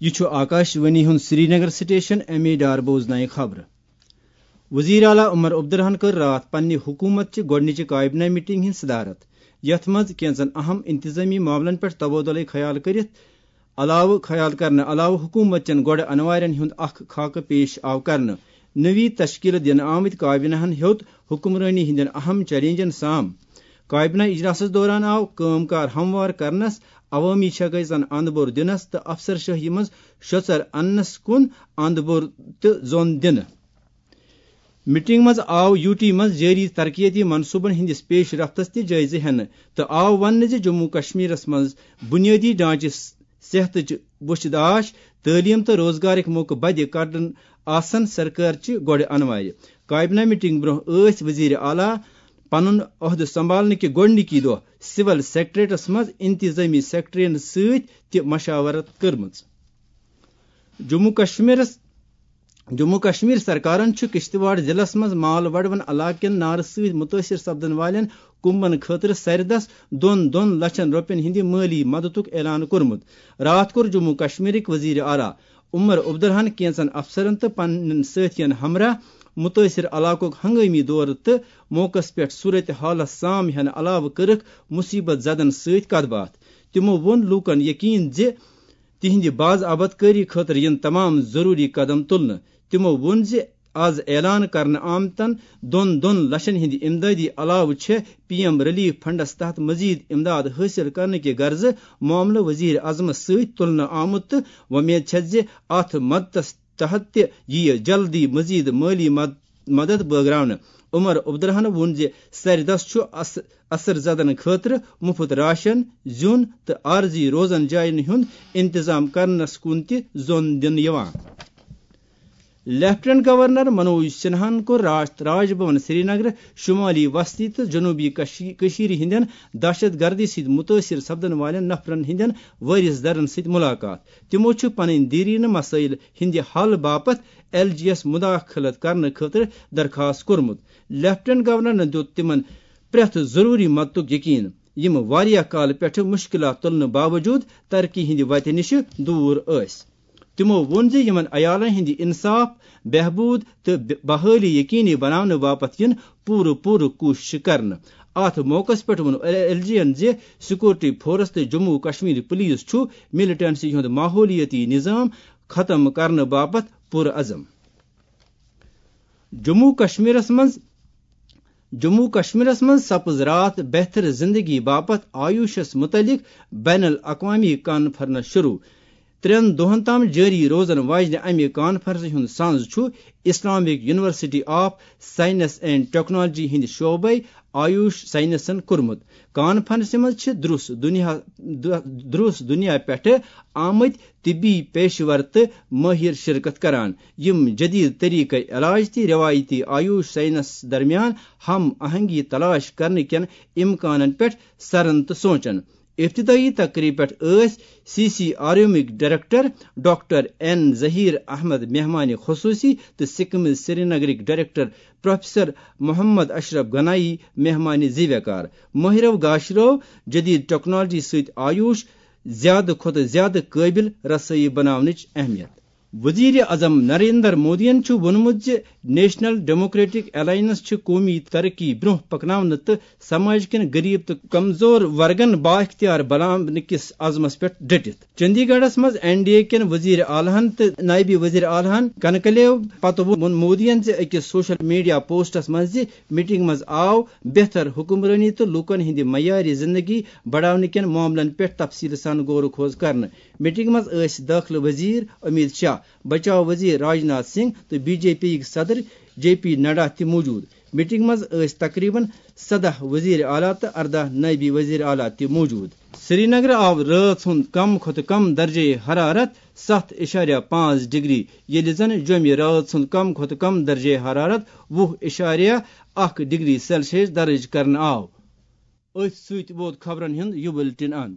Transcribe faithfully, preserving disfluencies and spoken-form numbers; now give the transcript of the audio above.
یہِ چھُ آکاش وانی ہُنٛد Srinagar station, M A Dar بوزنایہِ خبرٕ۔ وزیر اعلیٰ عمر عبدالرحن کٔر راتھ پننہِ حکوٗمت چہِ گۄڈٕنِچہِ کابینہ میٹنگ ہٕنٛز صدارت، یتھ منٛز کینژن اہم انتظامی معاملن پٮ۪ٹھ تبادلہٕ خیال کٔرِتھ علاوٕ، خیال کرنہٕ علاوٕ حکوٗمت چٮ۪ن گۄڈٕ انوارٮ۪ن ہُنٛد اکھ خاکہٕ پیش آو کرنہٕ۔ نٔوی تشکیل دِنہٕ آمٕتۍ کابینہن ہیوٚت حکمرٲنی ہٕنٛدٮ۪ن اہم چیلنجن سام۔ کابینہ اجلاسس دوران آو کٲم کار ہموار کرنس، عوٲمی چھکٲے زن اند بور دِنس تہٕ افسر شٲہی منٛز شۄژر اننس کُن اند بور تہٕ زون دِنہٕ۔ میٹنگ منٛز آو یوٗ ٹی منٛز جٲری ترقیتی منصوبن ہٕنٛدِس پیش رفتس تہِ جٲیزٕ ہٮ۪نہٕ تہٕ آو وننہٕ زِ جموں کشمیرس منٛز بنیٲدی ڈھانچہٕ، صحتٕچ وٕچھ داش، تعلیٖم تہٕ روزگارٕکۍ موقعہٕ بدِ کڑن آسن سرکار چہِ گۄڈٕ انوارِ۔ کابینہ میٹنگ برونٛہہ ٲسۍ وزیر اعلیٰ پنُن عہدٕ سنبھالنہٕ کہِ گۄڈٕنِکی دۄہ سول سیکرٹریٹس منٛز انتظامی سیکرٹرین سۭتۍ تہِ مشاورت کٔرمٕژ۔ جموں کشمیرس جموں کشمیر سرکارن چھُ کشتواڑ ضلعس منٛز مال وڈوَن علاقہٕ کٮ۪ن نارٕ سۭتۍ مُتٲثِر سپدن والٮ۪ن کُمبن خٲطرٕ سرِدس دۄن دۄن لچھن رۄپین ہٕنٛدِ مٲلی مددُک اعلان کوٚرمُت۔ راتھ کوٚر جموں کشمیرٕکۍ وزیر اعلیٰ عمر عبدالرحن کینژن افسرن تہٕ پننٮ۪ن سٲتھین ہمراہ مُتٲثِر علاقُک ہنگٲمی دورٕ تہٕ موقعس پٮ۪ٹھ صورت حالس سام ہٮ۪نہٕ علاوٕ کٔرٕکھ مُصیبت زدن سۭتۍ کتھ باتھ۔ تِمو ووٚن لوٗکن یقین زِ تِہنٛدِ باضابطگی خٲطرٕ یِن تمام ضروٗری قدم تُلنہٕ۔ تِمو ووٚن زِ از اعلان کرنہٕ آمتن دۄن دۄن لچھن ہٕنٛدِ امدادی علاوٕ چھےٚ پی ایم ریلیف فنڈس تحت مزید امداد حٲصِل کرنہٕ کہِ غرضہٕ معاملہٕ وزیر اعظمس سۭتۍ تُلنہٕ آمُت تہٕ وۄمید چھےٚ زِ اتھ مدتس تحت تہِ یِیہِ جلدی مزید مٲلی مد-، مدد بٲگراونہٕ۔ عمر عبدالرحمن ووٚن زِ سرِدس چھُ اث-، اثر زدن خٲطرٕ مُفت راشن، زیُن تہٕ عارضی روزن جاین ہُنٛد انتظام کرنس کُن تہِ زون دِنہٕ یِوان۔ لیفٹیننٹ گورنر منوج سنہاہن کوٚر راتھ راج بھون سرینگر شمالی وسطی تہٕ جنوبی کشی-، کٔشیٖرِ ہٕنٛدٮ۪ن دہشت گردی سۭتۍ مُتٲثِر سپدن والٮ۪ن نفرن ہٕنٛدٮ۪ن وٲرِث درن سۭتۍ مُلاقات۔ تِمو چھِ پنٕنۍ دیرینہٕ مسٲیل ہٕنٛدِ حل باپتھ ایل جی یس مداخلت کرنہٕ خٲطرٕ درخاست کوٚرمُت۔ لیفٹیننٹ گورنرن دیُت تِمن پرٛٮ۪تھ ضروٗری مدتُک یقین، یِم واریاہ کالہٕ پٮ۪ٹھٕ مُشکِلات تُلنہٕ باوجوٗد ترقی ہٕنٛدِ وتہِ نِش دوٗر ٲسۍ۔ تِمو ووٚن زِ یِمن عیالن ہٕنٛدِ انصاف، بہبود تہٕ بحٲلی یقینی بناونہٕ باپتھ یِن پوٗرٕ پوٗرٕ کوٗششہٕ کرنہٕ۔ اتھ موقعس پٮ۪ٹھ ووٚن ایل جی ین زِ سیکورٹی فورس تہٕ جموں کشمیر پولیس چھُ ملیٹنسی ہُنٛد ماحولیٲتی نظام ختم کرنہٕ باپتھ پُرعزم۔ جموں کشمیرس منٛز، جموں کشمیرس منٛز سپٕز راتھ بہتر زندگی باپتھ آیوشس متعلق بین الاقوامی کانفرنس شروع۔ ترٛٮ۪ن دۄہن تام جٲری روزن واجنہِ امہِ کانفرنسہِ ہُنٛد سنز چھُ Islamic university of science and technology ہٕنٛدِ شعبے آیوش سائنسن کوٚرمُت۔ کانفرنسہِ منٛز چھِ درُس دُنیا، دُ-، درُس دُنیا پٮ۪ٹھٕ آمٕتۍ طبی پیشور تہٕ مٲہِر شرکت کران، یِم جدید طریقے علاج تہٕ روایتی آیوش سائنس درمیان ہم آہنگی تلاش کرنہٕ کٮ۪ن امکانن پٮ۪ٹھ سرن تہٕ سونچن۔ ابتدٲئی تقریب پٮ۪ٹھ ٲسۍ سی سی آر ایمٕکۍ director doctor N Zaheer Ahmad مہمان خصوصی تہٕ سکمز سرینگرٕکۍ ڈائریکٹر پروفیسر محمد اشرف گنایی مہمان زیویکار۔ مٲہرو گاشرو جدید ٹیکنالوجی سۭتۍ آیوش زیادٕ کھۄتہٕ زیادٕ قٲبِل رسٲیی بناونٕچ اہمیت۔ وزیر اعظم نریندر مودیَن چھُ ووٚنمُت زِ نیشنل ڈیموکریٹک الائنس چھِ قومی ترقی برونٛہہ پکناونہٕ تہٕ سماج کٮ۪ن غریب تہٕ کمزور ورگن بااختیار بناونہٕ کِس عزمس پٮ۪ٹھ ڈٹِتھ۔ چندی گڑھس منٛز این ڈی اے کٮ۪ن وزیر اعلیٰ ہن تہٕ نائب وزیر اعلیٰ ہن کنکلیو پتہٕ ووٚن مودیَن زِ أکِس سوشل میڈیا پوسٹس منٛز زِ میٹنگ منٛز آو بہتر حکمرٲنی تہٕ لوٗکن ہٕنٛدِ معیارِ زندگی بڑاونہٕ کٮ۪ن معاملن پٮ۪ٹھ تفصیل سان غور و خوض کرنہٕ۔ میٹنگ منٛز ٲسۍ دٲخلہٕ وزیر امیت شاہ، بچاو وزیر راجناتھ سنگھ تہٕ بی جے پی یٕکۍ صدر جے پی نڈا تہِ موجود۔ میٹنگ منٛز ٲسۍ تقریباً سداہ وزیر اعلیٰ تہٕ ارداہ نائب وزیر اعلیٰ تہِ موجود۔ سرینگر آو رٲژ ہُنٛد کم کھۄتہٕ کم درجہ حرارت ستھ اِشاریہ پانٛژھ ڈگری، ییٚلہِ زن جوٚمہِ رٲژ ہُنٛد کم کھۄتہٕ کم درجہ حرارت وُہ اِشاریہ اکھ ڈگری سیلسیس درج کرنہٕ آو۔ أتھۍ سۭتۍ ووت خبرن ہُنٛد یہِ بُلٹن اند۔